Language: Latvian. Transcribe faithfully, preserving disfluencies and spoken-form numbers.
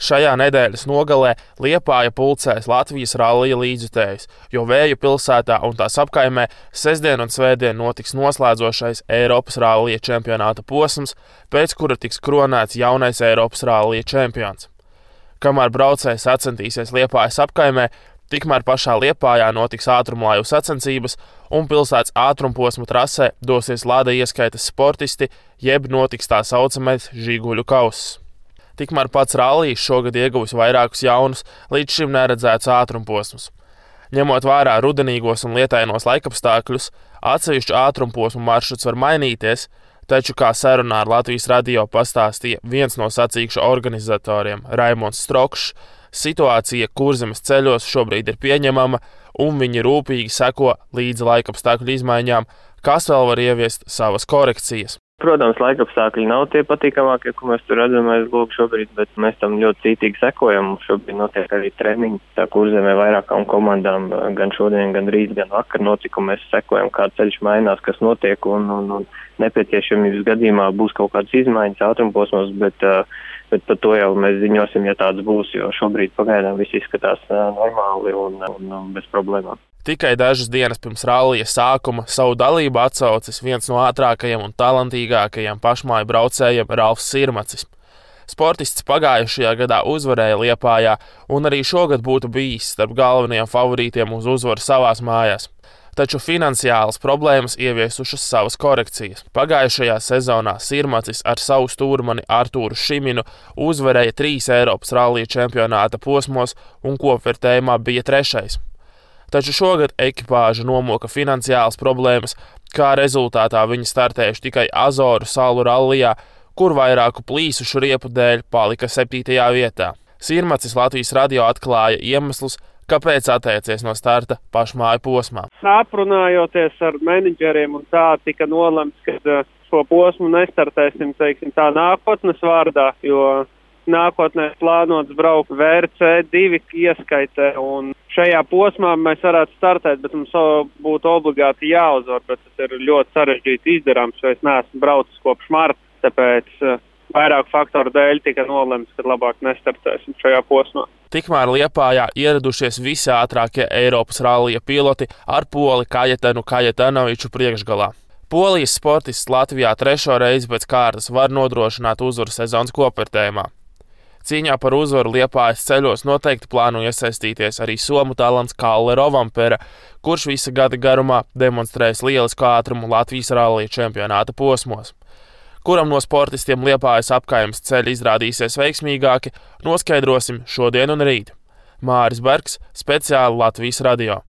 Šajā nedēļas nogalē Liepāja pulcēs Latvijas rallija līdzjutējus, jo Vēju pilsētā un tās apkaimē sestdien un svētdien notiks noslēdzošais Eiropas rallija čempionāta posms, pēc kura tiks kronēts jaunais Eiropas rallija čempions. Kamēr braucēji sacensties Liepājas apkaimē, tikmēr pašā Liepājā notiks ātrumlaivu sacensības un pilsētas ātrumposma trasē dosies lada ieskaitas sportisti, jeb notiks tā saucamais Žiguļu kauss. Tikmēr pats rallijs šogad ieguvis vairākus jaunus, līdz šim neredzētus ātrumposmus. Ņemot vērā rudenīgos un lietainos laikapstākļus, atsevišķu ātrumposmu maršruts var mainīties, taču, kā sarunā ar Latvijas radio pastāstīja viens no sacīkšu organizatoriem Raimonds Strokšs, situācija Kurzemes ceļos šobrīd ir pieņemama un viņi rūpīgi seko līdz laikapstākļu izmaiņām, kas vēl var ieviest savas korekcijas. Protams, laikapstākļi nav tie patīkamākie, ko mēs tur redzam aiz logu šobrīd, bet mēs tam ļoti cītīgi sekojam. Šobrīd notiek arī treniņi. Tā Kurzemē vairākām komandām gan šodien, gan rīt, gan vakar notika, un mēs sekojam, kā ceļš mainās, kas notiek, un, un, un nepieciešamības gadījumā būs kaut kādas izmaiņas ātrumposmos, bet, bet par to jau mēs ziņosim, ja tāds būs, jo šobrīd pagaidām viss izskatās normāli un, un, un bez problēmām. Tikai dažas dienas pirms rallija sākuma savu dalību atsaucis viens no ātrākajiem un talantīgākajiem pašmāju braucējiem Ralfs Sirmacis. Sportists pagājušajā gadā uzvarēja Liepājā un arī šogad būtu bijis starp galvenajiem favorītiem uz uzvaru savās mājās. Taču finansiālas problēmas ieviesušas savas korekcijas. Pagājušajā sezonā Sirmacis ar savu stūrmani Artūru Šiminu uzvarēja trīs Eiropas rallija čempionāta posmos un kopvērtējumā bija trešais. Taču šogad ekipāža nomoka finansiālas problēmas, kā rezultātā viņi startējuši tikai Azoru salu rallijā, kur vairāku plīsušu riepu dēļ palika septītajā vietā. Sirmacis Latvijas radio atklāja iemeslus, kāpēc atteicies no starta pašmāju posmā. Aprunājoties ar menedžeriem un tā tika nolemts, ka šo posmu nestartēsim, teiksim, tā nākotnes vārdā, jo nākotnē plānots braukt V R C divi ieskaitē, un šajā posmā mēs varētu startēt, bet mums būtu obligāti jāuzvar, bet tas ir ļoti sarežģīti izdarāms, jo es neesmu braucis kopš marta, tāpēc vairāk faktoru dēļ tika nolemts, ka labāk nestartēsim šajā posmā. Tikmēr Liepājā ieradušies visi ātrākie Eiropas rallija piloti ar poli Kajetanu Kajetanoviču priekšgalā. Polijas sportists Latvijā trešo reizi pēc kārtas var nodrošināt uzvaru sezonas kopvērtējumā. Cīņā par uzvaru Liepājas ceļos noteikti plāno iesaistīties arī somu talants Kalle Rovampere, kurš visa gada garumā demonstrēs lielisku ātrumu Latvijas rallija čempionāta posmos. Kuram no sportistiem Liepājas apkaimes ceļi izrādīsies veiksmīgāki, noskaidrosim šodien un rīt. Māris Bergs, speciāli Latvijas radio.